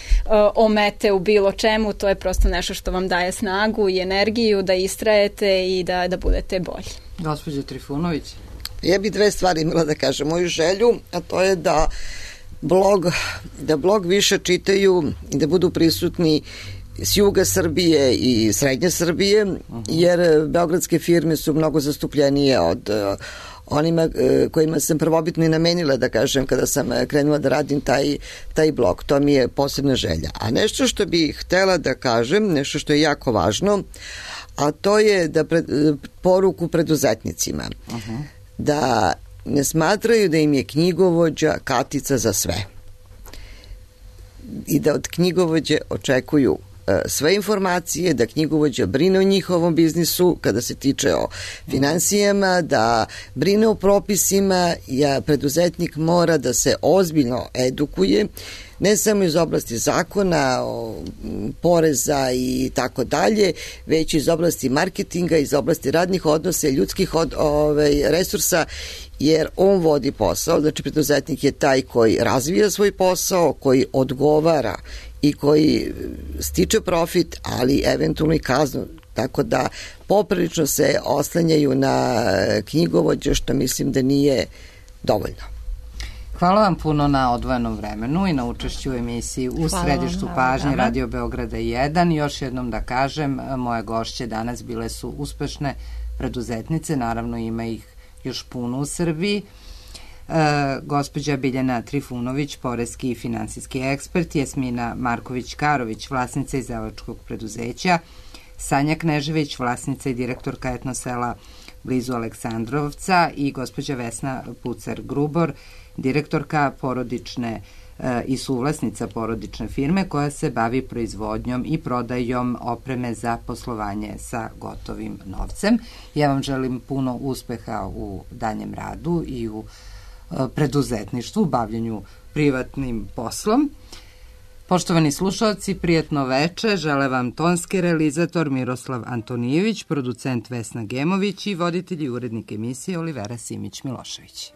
omete u bilo čemu, to je prosto nešto što vam daje snagu i energiju da istrajete i da budete bolji. Gospođa Trifunović? Ja bih 2 stvari imala da kažem. Moju želju, a to je da blog više čitaju i da budu prisutni s juga Srbije i srednje Srbije, jer beogradske firme su mnogo zastupljenije od onima kojima sam prvobitno i namenila, da kažem, kada sam krenula da radim taj blog. To mi je posebna želja. A nešto što bih htela da kažem, nešto što je jako važno, a to je da poruku preduzetnicima. Da ne smatraju da im je knjigovođa katica za sve i da od knjigovođe očekuju sve informacije, da knjigovođa brine o njihovom biznisu kada se tiče o finansijama, da brine o propisima, preduzetnik mora da se ozbiljno edukuje, ne samo iz oblasti zakona, poreza i tako dalje, već iz oblasti marketinga, iz oblasti radnih odnosa, ljudskih resursa, jer on vodi posao, znači preduzetnik je taj koji razvija svoj posao, koji odgovara i koji stiče profit, ali eventualno i kaznu, tako da poprilično se oslanjaju na knjigovođe, što mislim da nije dovoljno. Hvala vam puno na odvojenom vremenu i na učešću u emisiji U središtu pažnje Radio Beograda 1. Još jednom da kažem, moje gošće danas bile su uspešne preduzetnice, naravno ima ih još puno u Srbiji. Gospođa Biljana Trifunović, poreski i finansijski ekspert, Jasmina Marković-Karović, vlasnica izdavačkog preduzeća, Sanja Knežević, vlasnica i direktorka Etnosela blizu Aleksandrovca i gospođa Vesna Pucar-Grubor, direktorka porodične i suvlasnica porodične firme koja se bavi proizvodnjom i prodajom opreme za poslovanje sa gotovim novcem. Ja vam želim puno uspeha u daljem radu i u preduzetništvu, bavljanju privatnim poslom. Poštovani slušalci, prijatno veče, žele vam tonski realizator Miroslav Antonijević, producent Vesna Gemović i voditelj i urednik emisije Olivera Simić-Milošević.